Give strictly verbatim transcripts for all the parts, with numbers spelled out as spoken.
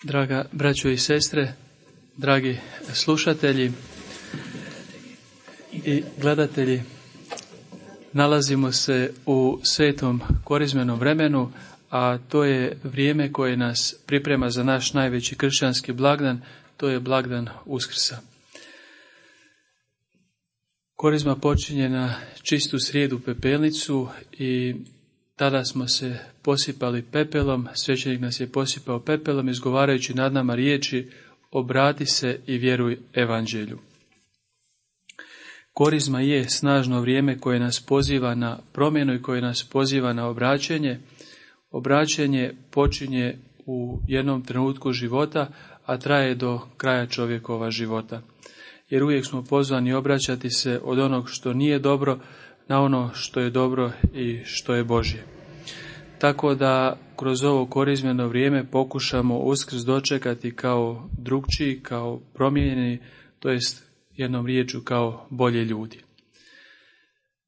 Draga braćo i sestre, dragi slušatelji i gledatelji, nalazimo se u svetom korizmenom vremenu, a to je vrijeme koje nas priprema za naš najveći kršćanski blagdan, to je blagdan Uskrsa. Korizma počinje na čistu srijedu pepelnicu i tada smo se posipali pepelom, svećenik nas je posipao pepelom, izgovarajući nad nama riječi: obrati se i vjeruj evanđelju. Korizma je snažno vrijeme koje nas poziva na promjenu i koje nas poziva na obraćenje. Obraćenje počinje u jednom trenutku života, a traje do kraja čovjekova života. Jer uvijek smo pozvani obraćati se od onog što nije dobro na ono što je dobro i što je Božje. Tako da kroz ovo korizmeno vrijeme pokušamo Uskrs dočekati kao drukčiji, kao promijenjeni, to jest jednom riječju kao bolje ljudi.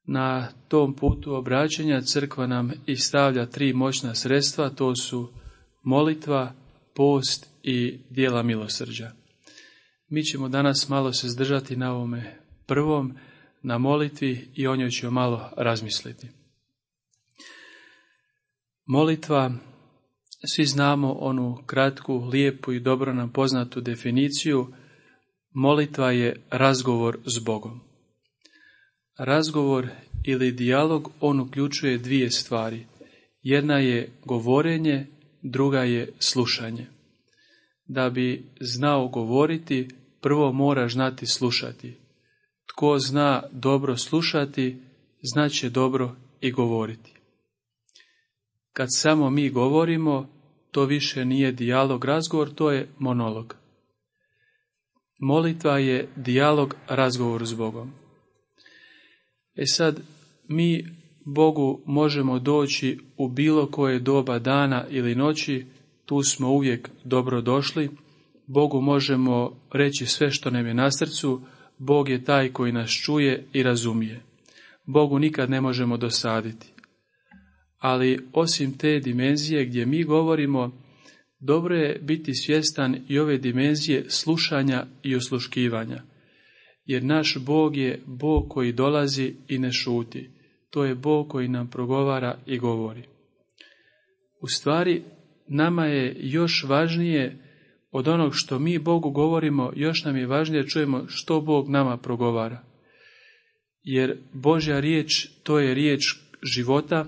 Na tom putu obraćanja crkva nam i stavlja tri moćna sredstva, to su molitva, post i djela milosrđa. Mi ćemo danas malo se zdržati na ovome prvom, na molitvi, i o njoj ćemo malo razmisliti. Molitva, svi znamo onu kratku, lijepu i dobro nam poznatu definiciju. Molitva je razgovor s Bogom. Razgovor ili dijalog, on uključuje dvije stvari. Jedna je govorenje, druga je slušanje. Da bi znao govoriti, prvo mora znati slušati. Tko zna dobro slušati, znaće dobro i govoriti. Kad samo mi govorimo, to više nije dijalog, razgovor, to je monolog. Molitva je dijalog, razgovor s Bogom. E sad, mi Bogu možemo doći u bilo koje doba dana ili noći, tu smo uvijek dobro došli. Bogu možemo reći sve što nam je na srcu, Bog je taj koji nas čuje i razumije. Bogu nikad ne možemo dosaditi. Ali osim te dimenzije gdje mi govorimo, dobro je biti svjestan i ove dimenzije slušanja i osluškivanja. Jer naš Bog je Bog koji dolazi i ne šuti. To je Bog koji nam progovara i govori. U stvari, nama je još važnije od onog što mi Bogu govorimo, još nam je važnije čujemo što Bog nama progovara. Jer Božja riječ, to je riječ života,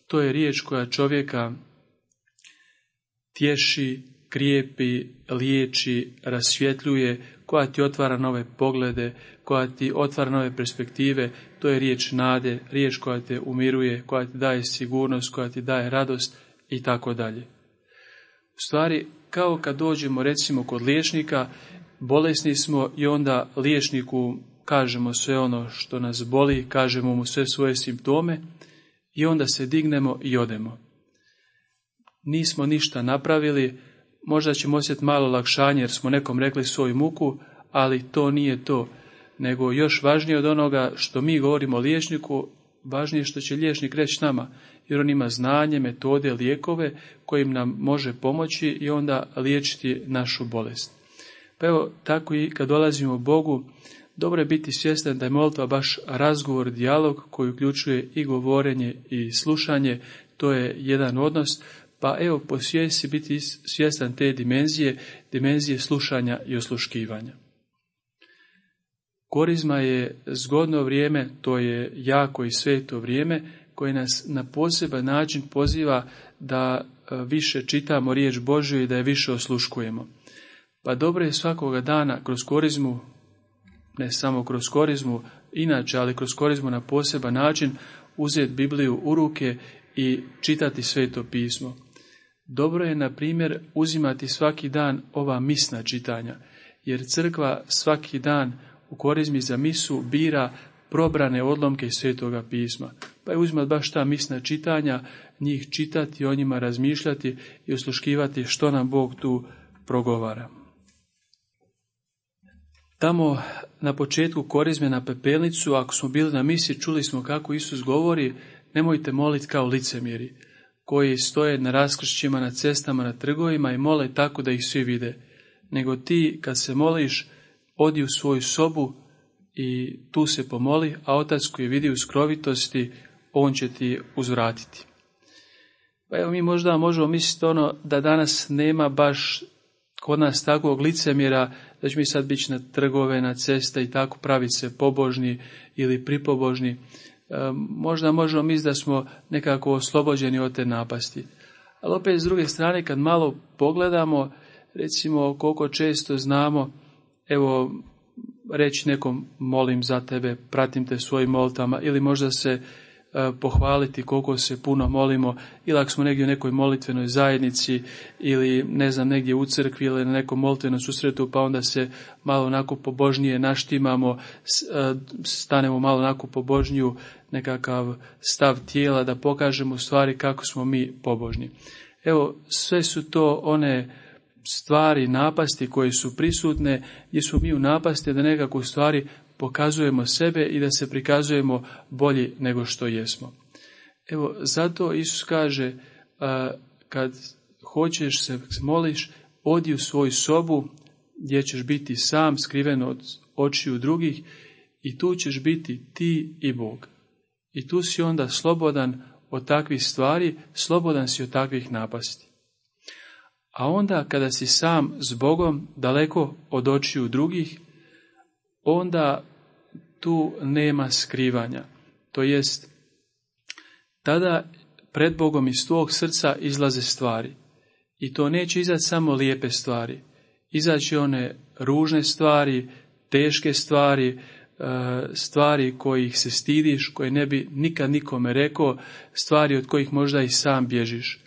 to je riječ koja čovjeka tješi, krijepi, liječi, rasvjetljuje, koja ti otvara nove poglede, koja ti otvara nove perspektive. To je riječ nade, riječ koja te umiruje, koja ti daje sigurnost, koja ti daje radost i tako dalje. U stvari, kao kad dođemo recimo kod liječnika, bolesni smo i onda liječniku kažemo sve ono što nas boli, kažemo mu sve svoje simptome i onda se dignemo i odemo. Nismo ništa napravili, možda ćemo osjetiti malo lakšanje jer smo nekom rekli svoju muku, ali to nije to. Nego još važnije od onoga što mi govorimo liječniku, važnije što će liječnik reći nama, jer on ima znanje, metode, lijekove kojim nam može pomoći i onda liječiti našu bolest. Pa evo, tako i kad dolazimo Bogu, dobro je biti svjestan da je molitva baš razgovor, dijalog koji uključuje i govorenje i slušanje. To je jedan odnos, pa evo posvijesti biti svjestan te dimenzije, dimenzije slušanja i osluškivanja. Korizma je zgodno vrijeme, to je jako i sveto vrijeme koje nas na poseban način poziva da više čitamo riječ Božju i da je više osluškujemo. Pa dobro je svakoga dana kroz korizmu, ne samo kroz korizmu, inače, ali kroz korizmu na poseban način uzeti Bibliju u ruke i čitati Sveto pismo. Dobro je, na primjer, uzimati svaki dan ova misna čitanja, jer crkva svaki dan u korizmi za misu bira probrane odlomke iz Svetoga pisma. Pa je uzimati baš ta misna čitanja, njih čitati, o njima razmišljati i osluškivati što nam Bog tu progovara. Tamo na početku korizme na pepelnicu, ako smo bili na misi, čuli smo kako Isus govori: nemojte moliti kao licemjeri. koji stoje na raskršćima, na cestama, na trgovima i mole tako da ih svi vide. Nego ti, kad se moliš, odi u svoju sobu i tu se pomoli, a Otac koji vidi u skrovitosti, on će ti uzvratiti. Pa evo, mi možda možemo misliti ono da danas nema baš kod nas takvog licemjera, da će mi sad biti na trgove, na ceste i tako praviti se pobožni ili pripobožni. E, možda možemo misliti da smo nekako oslobođeni od te napasti. Ali opet s druge strane, kad malo pogledamo, recimo koliko često znamo, evo, reći nekom molim za tebe, pratim te svojim molitama, ili možda se e, pohvaliti koliko se puno molimo, ili ako smo negdje u nekoj molitvenoj zajednici, ili ne znam, negdje u crkvi ili na nekom molitvenom susretu, pa onda se malo onako pobožnije naštimamo, e, stanemo malo onako pobožniju nekakav stav tijela, da pokažemo u stvari kako smo mi pobožni. Evo, sve su to one stvari, napasti koje su prisutne, gdje smo mi u napasti da nekako u stvari pokazujemo sebe i da se prikazujemo bolji nego što jesmo. Evo, zato Isus kaže, a, kad hoćeš se moliš, odi u svoju sobu gdje ćeš biti sam, skriven od očiju drugih, i tu ćeš biti ti i Bog. I tu si onda slobodan od takvih stvari, slobodan si od takvih napasti. A onda kada si sam s Bogom, daleko od očiju drugih, onda tu nema skrivanja. To jest, tada pred Bogom iz tvog srca izlaze stvari. I to neće izaći samo lijepe stvari. Izaći one ružne stvari, teške stvari, stvari kojih se stidiš, koje ne bi nikad nikome rekao, stvari od kojih možda i sam bježiš.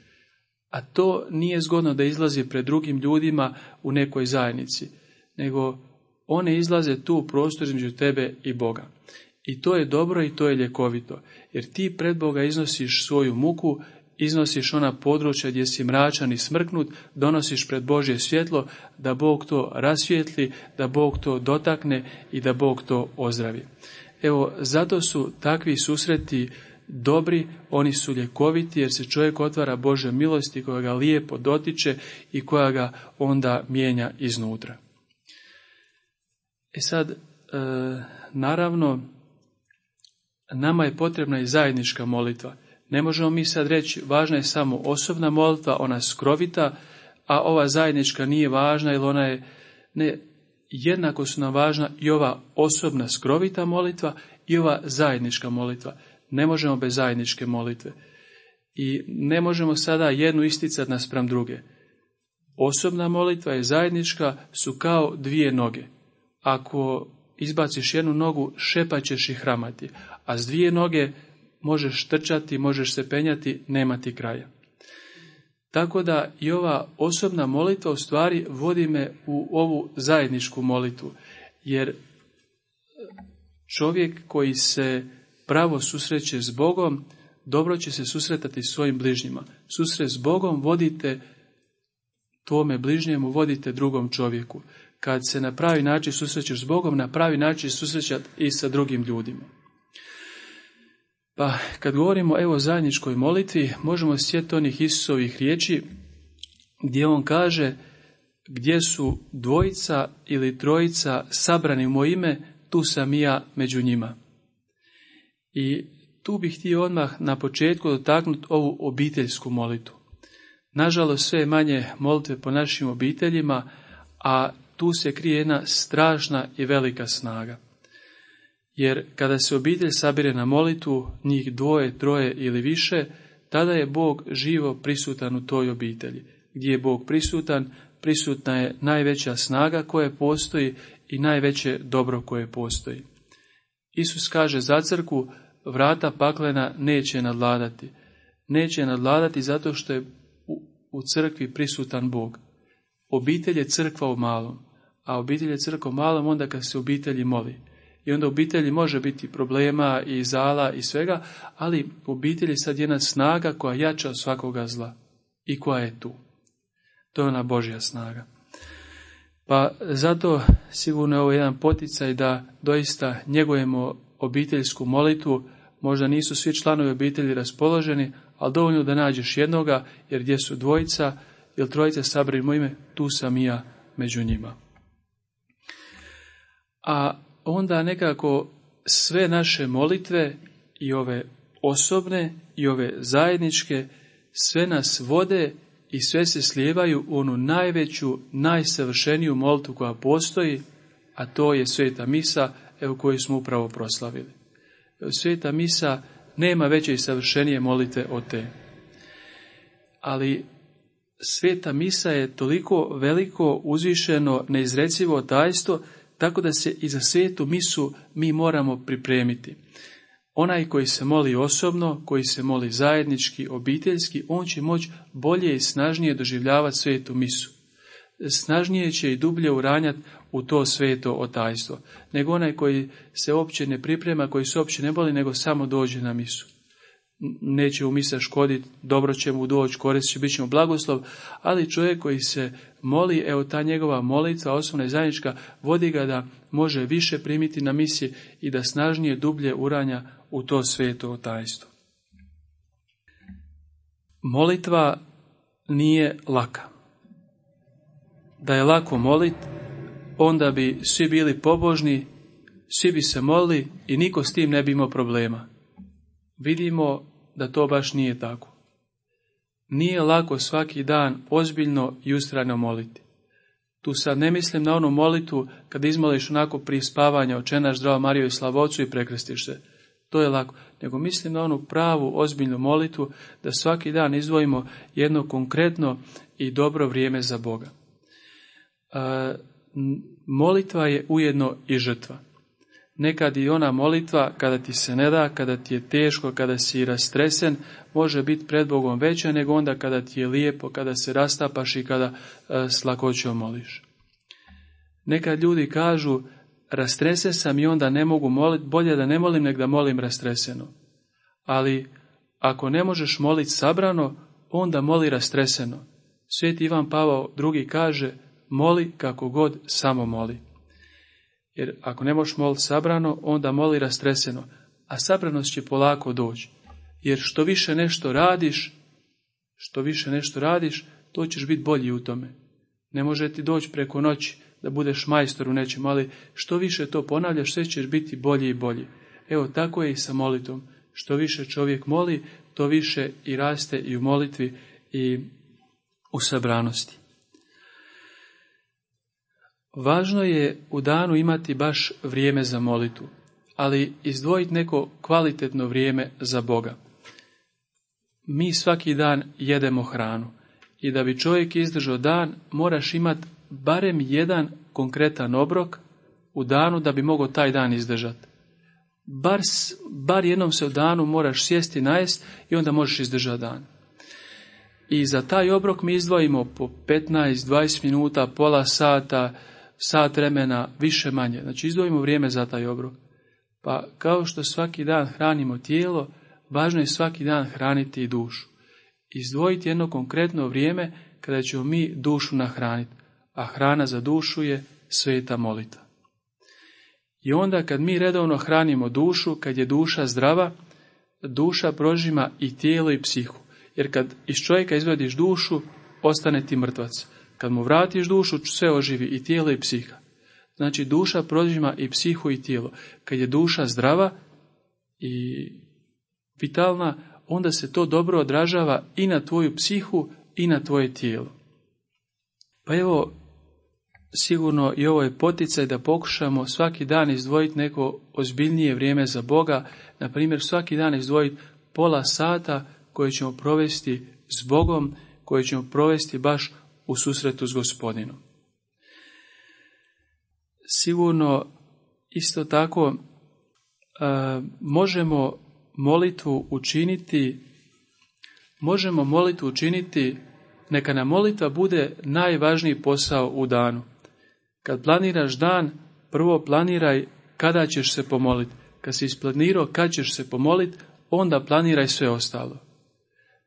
A to nije zgodno da izlazi pred drugim ljudima u nekoj zajednici, nego one izlaze tu u prostor između tebe i Boga. I to je dobro i to je ljekovito, jer ti pred Boga iznosiš svoju muku, iznosiš ona područja gdje si mračan i smrknut, donosiš pred Božje svjetlo, da Bog to rasvijetli, da Bog to dotakne i da Bog to ozdravi. Evo, zato su takvi susreti dobri, oni su ljekoviti, jer se čovjek otvara Božoj milosti koja ga lijepo dotiče i koja ga onda mijenja iznutra. E sad, e, naravno, nama je potrebna i zajednička molitva. Ne možemo mi sad reći, važna je samo osobna molitva, ona skrovita, a ova zajednička nije važna, jer ona je, ne, jednako su nam važna i ova osobna skrovita molitva i ova zajednička molitva. Ne možemo bez zajedničke molitve. I ne možemo sada jednu isticati naspram druge. Osobna molitva i zajednička su kao dvije noge. Ako izbaciš jednu nogu, šepaćeš i hramati, a s dvije noge možeš trčati, možeš se penjati, nema ti kraja. Tako da i ova osobna molitva u stvari vodi me u ovu zajedničku molitvu, jer čovjek koji se pravo susreće s Bogom, dobro će se susretati s svojim bližnjima. Susret s Bogom vodite tvome bližnjemu, vodite drugom čovjeku. Kad se na pravi način susrećeš s Bogom, na pravi način susrećati i sa drugim ljudima. Pa kad govorimo evo o zajedničkoj molitvi, možemo sjetiti onih Isusovih riječi gdje on kaže, gdje su dvojica ili trojica sabrani u moje ime, tu sam i ja među njima. I tu bih htio odmah na početku dotaknuti ovu obiteljsku molitvu. Nažalost, sve je manje molitve po našim obiteljima, a tu se krije jedna strašna i velika snaga. Jer kada se obitelj sabire na molitvu, njih dvoje, troje ili više, tada je Bog živo prisutan u toj obitelji. Gdje je Bog prisutan, prisutna je najveća snaga koja postoji i najveće dobro koje postoji. Isus kaže za crkvu, vrata paklena neće nadvladati. Neće nadvladati zato što je u, u crkvi prisutan Bog. Obitelj je crkva u malom, a obitelj je crkva u malom onda kad se obitelji moli. I onda u obitelji može biti problema i zala i svega, ali u obitelji sad jedna snaga koja jača od svakoga zla i koja je tu. To je ona Božja snaga. Pa zato sigurno je ovo jedan poticaj da doista njegujemo obiteljsku molitvu, možda nisu svi članovi obitelji raspoloženi, ali dovoljno da nađeš jednoga, jer gdje su dvojica ili trojica sabrani moje ime, tu sam i ja među njima. A onda nekako sve naše molitve i ove osobne i ove zajedničke, sve nas vode i sve se slijevaju u onu najveću, najsavršeniju molitvu koja postoji, a to je Sveta misa, evo koju smo upravo proslavili. Sveta misa nema veće i savršenije molitve od te. Ali Sveta misa je toliko veliko, uzvišeno, neizrecivo tajstvo, tako da se i za Svetu misu mi moramo pripremiti. Onaj koji se moli osobno, koji se moli zajednički, obiteljski, on će moći bolje i snažnije doživljavati Svetu misu. Snažnije će i dublje uranjati u to sveto otajstvo, nego onaj koji se uopće ne priprema, koji se uopće ne moli, nego samo dođe na misu. Neće u misa škoditi, dobro će mu doći, korist će, bit će mu blagoslov, ali čovjek koji se moli, evo ta njegova molitva, osobna i zajednička, vodi ga da može više primiti na misi i da snažnije, dublje uranja u to sveto otajstvo. Molitva nije laka. Da je lako molit, onda bi svi bili pobožni, svi bi se molili i niko s tim ne bi imao problema. Vidimo da to baš nije tako. Nije lako svaki dan ozbiljno i ustrajno moliti. Tu sad ne mislim na onu molitvu kada izmoliš onako prije spavanja, Oče naš, Zdravo Marijo i slava Otcu i prekrstiš se. To je lako. Nego mislim na onu pravu, ozbiljnu molitvu da svaki dan izdvojimo jedno konkretno i dobro vrijeme za Boga. E, molitva je ujedno i žrtva. Nekad i ona molitva, kada ti se ne da, kada ti je teško, kada si rastresen, može biti pred Bogom veća nego onda kada ti je lijepo, kada se rastapaš i kada e, s lakoćom moliš. Nekad ljudi kažu, rastresen sam i onda ne mogu moliti, bolje da ne molim nego da molim rastreseno. Ali ako ne možeš moliti sabrano, onda moli rastreseno. Sveti Ivan Pavao drugi kaže, moli kako god, samo moli. Jer ako ne možeš moliti sabrano, onda moli rastreseno, a sabranost će polako doći. Jer što više nešto radiš, što više nešto radiš, to ćeš biti bolji u tome. Ne može ti doći preko noći da budeš majstor u nečem, ali što više to ponavljaš, sve ćeš biti bolji i bolji. Evo, tako je i sa molitvom. Što više čovjek moli, to više i raste i u molitvi i u sabranosti. Važno je u danu imati baš vrijeme za molitvu, ali izdvojiti neko kvalitetno vrijeme za Boga. Mi svaki dan jedemo hranu i da bi čovjek izdržao dan, moraš imati barem jedan konkretan obrok u danu da bi mogao taj dan izdržati. Bar, bar jednom se u danu moraš sjesti, najest i onda možeš izdržati dan. I za taj obrok mi izdvojimo po petnaest do dvadeset minuta, pola sata, sat vremena, više manje. Znači izdvojimo vrijeme za taj obrok. Pa kao što svaki dan hranimo tijelo, važno je svaki dan hraniti i dušu. Izdvojiti jedno konkretno vrijeme kada ćemo mi dušu nahraniti. A hrana za dušu je sveta molitva. I onda kad mi redovno hranimo dušu, kad je duša zdrava, duša prožima i tijelo i psihu. Jer kad iz čovjeka izvadiš dušu, ostane ti mrtvac. Kad mu vratiš dušu, sve oživi, i tijelo i psiha. Znači duša prožima i psihu i tijelo. Kad je duša zdrava i vitalna, onda se to dobro odražava i na tvoju psihu i na tvoje tijelo. Pa evo, sigurno i ovo je poticaj da pokušamo svaki dan izdvojiti neko ozbiljnije vrijeme za Boga. Na primjer, svaki dan izdvojiti pola sata koje ćemo provesti s Bogom, koje ćemo provesti baš u susretu s Gospodinom. Sigurno isto tako a, možemo molitvu učiniti, možemo molitvu učiniti, neka nam molitva bude najvažniji posao u danu. Kad planiraš dan, prvo planiraj kada ćeš se pomoliti. Kad si isplanirao kad ćeš se pomoliti, onda planiraj sve ostalo.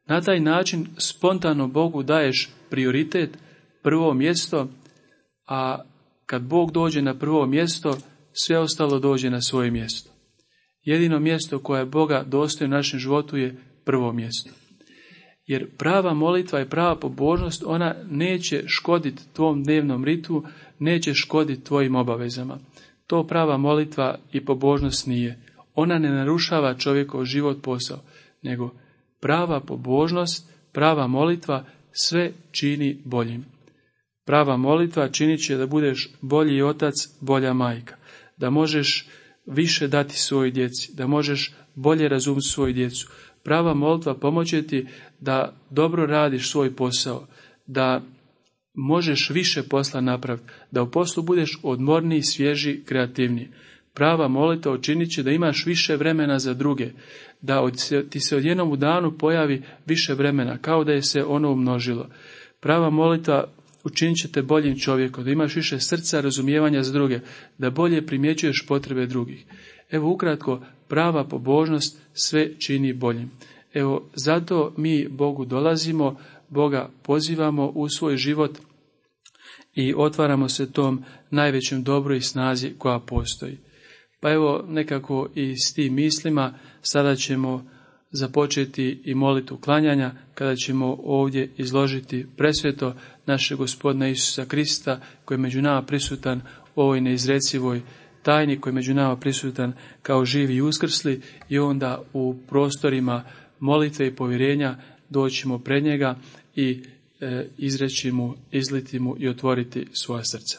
Na taj način spontano Bogu daješ prioritet, prvo mjesto, a kad Bog dođe na prvo mjesto, sve ostalo dođe na svoje mjesto. Jedino mjesto koje je Boga dostojno u našem životu je prvo mjesto. Jer prava molitva i prava pobožnost, ona neće škoditi tvom dnevnom ritmu, neće škoditi tvojim obavezama. To prava molitva i pobožnost nije. Ona ne narušava čovjekov život, posao, nego prava pobožnost, prava molitva sve čini boljim. Prava molitva činit će da budeš bolji otac, bolja majka, da možeš više dati svojoj djeci, da možeš bolje razumjeti svoju djecu. Prava molitva pomoće ti da dobro radiš svoj posao, da možeš više posla napraviti, da u poslu budeš odmorniji, svježi, kreativniji. Prava molitva učinit će da imaš više vremena za druge, da od, ti se odjednom u danu pojavi više vremena, kao da je se ono umnožilo. Prava molitva učinit će te boljim čovjekom, da imaš više srca, razumijevanja za druge, da bolje primjećuješ potrebe drugih. Evo ukratko, prava pobožnost sve čini boljim. Evo zato mi Bogu dolazimo, Boga pozivamo u svoj život i otvaramo se tom najvećem dobru i snazi koja postoji. Pa evo nekako i s tim mislima sada ćemo započeti i molitvu klanjanja, kada ćemo ovdje izložiti presveto našeg Gospodina Isusa Krista, koji je među nama prisutan u ovoj neizrecivoj tajni, koji je među nama prisutan kao živi i uskrsli, i onda u prostorima molitve i povjerenja doćemo pred njega i e, izreći mu, izliti mu i otvoriti svoja srca.